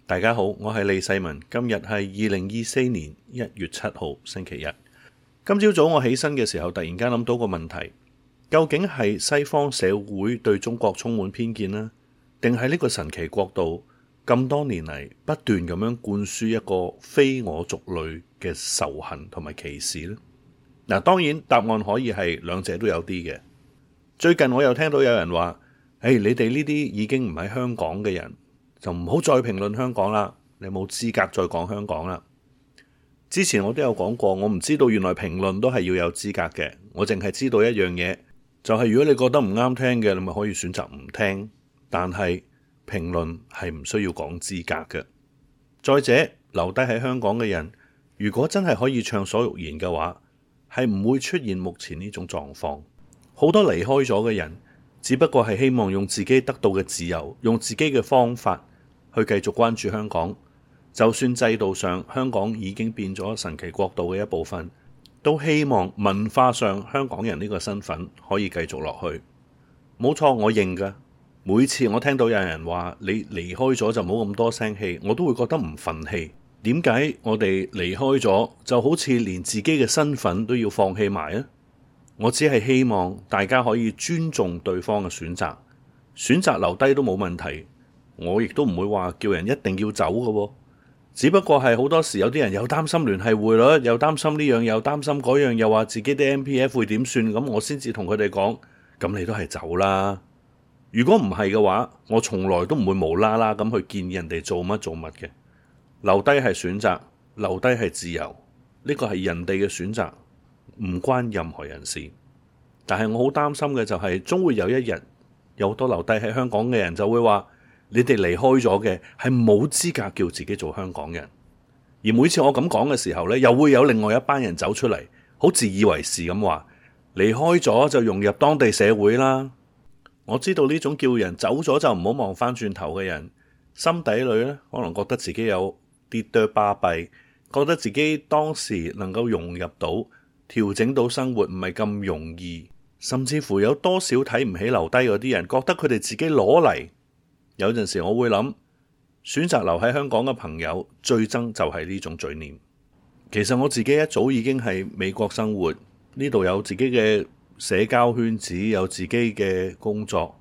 大家好，我係李世民。今日係2024年1月7號星期一。今朝早我起身嘅時候，突然間諗到個問題：究竟係西方社會對中國充滿偏見呢？定係呢個神奇國度咁多年嚟不斷咁樣灌輸一個非我族類嘅仇恨同埋歧視呢？嗱，當然答案可以係兩者都有啲嘅。最近我又聽到有人話：你哋呢啲已經唔喺香港嘅人，就唔好再評論香港啦，你冇資格再講香港啦。之前我都有講過，我唔知道原來評論都係要有資格嘅。我淨係知道一樣嘢，就係如果你覺得唔啱聽嘅，你咪可以選擇唔聽。但係評論係唔需要講資格嘅。再者，留低喺香港嘅人，如果真係可以暢所欲言嘅話，係唔會出現目前呢種狀況。好多離開咗嘅人，只不過係希望用自己得到嘅自由，用自己嘅方法去繼續關注香港。就算制度上香港已經變咗神奇國度嘅一部分，都希望文化上香港人呢個身份可以繼續落去。冇錯，我認㗎。每次我聽到有人話你離開咗就冇咁多聲氣，我都會覺得唔憤氣。點解我哋離開咗就好似連自己嘅身份都要放棄埋啊？我只係希望大家可以尊重對方嘅選擇，選擇留低都冇問題。我亦都唔會話叫人一定要走嘅喎。只不過係好多時有啲人又擔心聯繫匯率，又擔心呢樣，又擔心嗰樣，又話自己啲 MPF 會點算，咁我先至同佢哋講，咁你都係走啦。如果唔係嘅話，我從來都唔會無啦啦咁去建議人哋做乜嘅。留低係選擇，留低係自由，呢個係人哋嘅選擇，唔關任何人事。但係我好擔心嘅就係，終會有一日有好多留低喺香港嘅人就會話，你哋離開咗嘅係冇資格叫自己做香港人。而每次我咁講嘅時候呢，又會有另外一班人走出嚟，好自以為是咁話，離開咗就融入當地社會啦。我知道呢種叫人走咗就唔好望返轉頭嘅人，心底裏呢可能覺得自己有啲多巴閉，覺得自己當時能夠融入到、調整到生活唔係咁容易，甚至乎有多少睇唔起留低嗰啲人，覺得佢哋自己攞嚟。有陣時我會諗，選擇留喺香港嘅朋友最憎就係呢種罪念。其實我自己一早已經喺美國生活，呢度有自己嘅社交圈子，有自己嘅工作，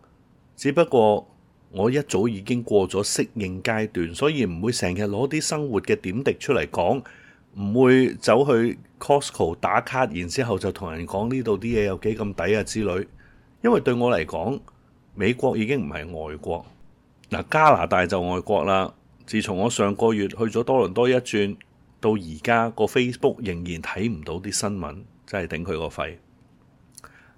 只不過我一早已經過咗適應階段，所以唔會成日攞啲生活嘅點滴出嚟講，唔會走去 Costco 打卡，然之後就同人講呢度啲嘢有幾咁抵啊之類。因為對我嚟講，美國已經唔係外國。嗱，加拿大就外國啦。自從我上個月去咗多倫多一轉，到而家個 Facebook 仍然睇唔到啲新聞，真係頂佢個肺。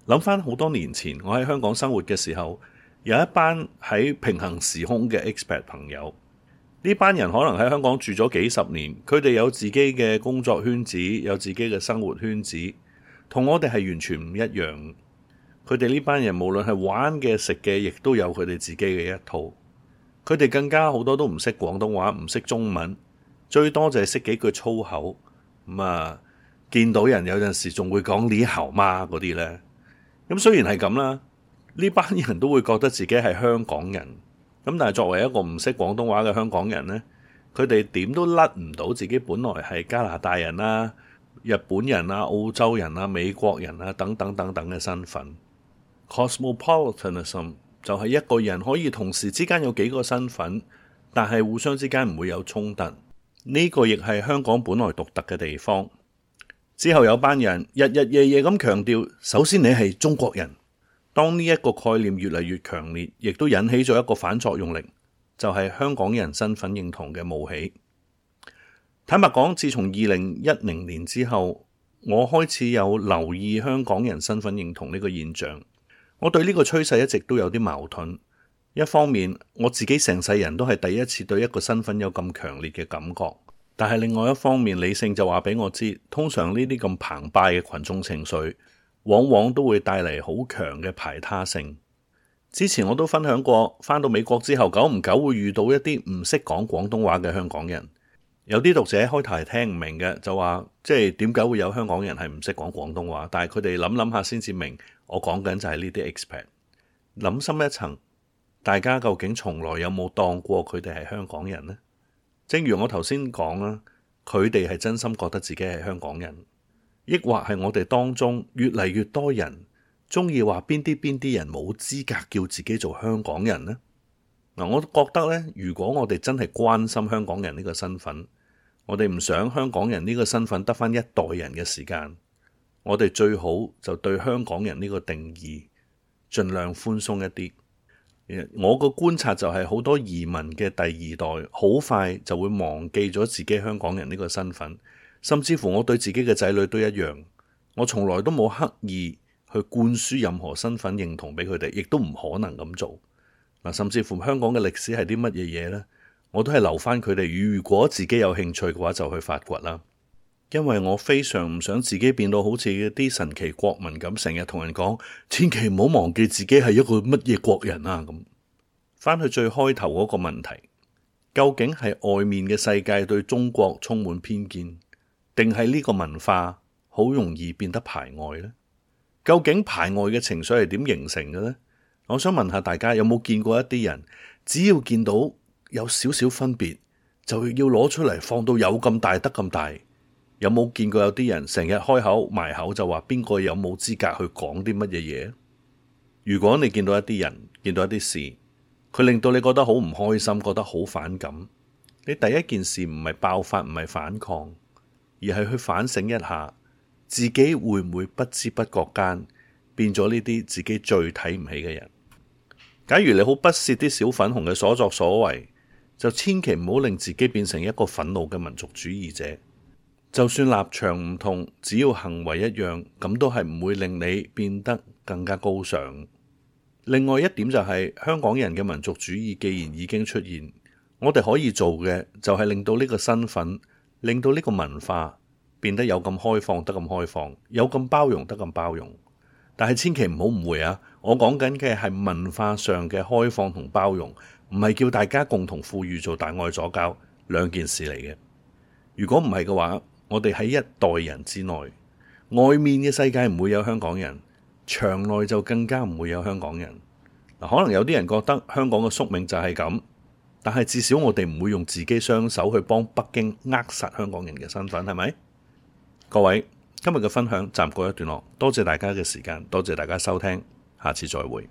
諗翻好多年前，我喺香港生活嘅時候，有一班喺平行時空嘅 expat 朋友。呢班人可能喺香港住咗幾十年，佢哋有自己嘅工作圈子，有自己嘅生活圈子，同我哋係完全唔一樣。佢哋呢班人無論係玩嘅、食嘅，亦都有佢哋自己嘅一套。佢哋更加好多都唔識廣東話，唔識中文，最多就係識幾句粗口。見到人有陣時仲會講你好嗎嗰啲呢。咁雖然係咁啦，呢班人都會覺得自己係香港人。咁但係作為一個唔識廣東話嘅香港人呢，佢哋點都甩唔到自己本來係加拿大人啦、日本人啊、澳洲人啊、美國人啊等等等等嘅身份。Cosmopolitanism 就係一個人可以同時之間有幾個身份，但係互相之間唔會有衝突。呢個亦係香港本來獨特嘅地方。之後有班人日日夜夜咁強調，首先你係中國人。當呢一個概念越嚟越強烈，亦都引起咗一個反作用力，就係香港人身份認同嘅冒起。坦白講，自從2010年之後，我開始有留意香港人身份認同呢個現象。我對呢個趨勢一直都有啲矛盾。一方面，我自己成世人都係第一次對一個身份有咁強烈嘅感覺，但係另外一方面，理性就話俾我知，通常呢啲咁澎湃嘅群眾情緒往往都會帶嚟好強嘅排他性。之前我都分享過，返到美國之後，久唔久會遇到一啲唔識講廣東話嘅香港人。有啲讀者開頭係聽唔明嘅，就話即係點解會有香港人係唔識講廣東話，但係佢哋諗下先至明，我講緊就係呢啲 expat。諗深一層，大家究竟從來有冇當過佢哋係香港人呢？正如我頭先講啦，佢哋係真心覺得自己係香港人，抑或係我哋當中越嚟越多人中意話邊啲人冇資格叫自己做香港人呢？嗱，我覺得咧，如果我哋真係關心香港人呢個身份，我哋唔想香港人呢個身份得返一代人嘅時間，我哋最好就對香港人呢個定義盡量寬鬆一啲。我個觀察就係好多移民嘅第二代好快就會忘記咗自己香港人呢個身份，甚至乎我對自己嘅仔女都一樣，我從來都冇刻意去灌輸任何身份認同俾佢哋，亦都唔可能咁做。甚至乎香港嘅歷史係啲乜嘢嘢呢？我都係留翻佢哋，如果自己有興趣嘅話就去發掘啦。因為我非常唔想自己變到好似啲神奇國民咁，成日同人講千祈唔好忘記自己係一個乜嘢國人啊咁。翻去最開頭嗰個問題，究竟係外面嘅世界對中國充滿偏見，定係呢個文化好容易變得排外呢？究竟排外嘅情緒係點形成嘅呢？我想問下大家，有冇見過一啲人，只要見到有少少分別，就要攞出嚟放到有咁大得咁大？有冇見過有啲人成日開口埋口就話邊個有冇資格去講啲乜嘢嘢？如果你見到一啲人，見到一啲事，佢令到你覺得好唔開心，覺得好反感，你第一件事唔係爆發，唔係反抗，而係去反省一下，自己會唔會不知不覺間變咗呢啲自己最睇唔起嘅人？假如你好不屑啲小粉紅嘅所作所為，就千祈唔好令自己變成一個憤怒嘅民族主義者。就算立場唔同，只要行為一樣，咁都係唔會令你變得更加高尚。另外一點就係，香港人嘅民族主義既然已經出現，我哋可以做嘅就係令到呢個身份，令到呢個文化變得有咁開放得咁開放，有咁包容得咁包容。但係千祈唔好誤會啊！我講緊嘅係文化上嘅開放同包容，唔係叫大家共同富裕做大愛左膠，兩件事嚟嘅。如果唔係嘅話，我哋喺一代人之內，外面嘅世界唔會有香港人，牆內就更加唔會有香港人。可能有啲人覺得香港嘅宿命就係咁，但係至少我哋唔會用自己雙手去幫北京扼殺香港人嘅身份，係咪？各位，今日嘅分享暫告一段落，多謝大家嘅時間，多謝大家收聽，下次再會。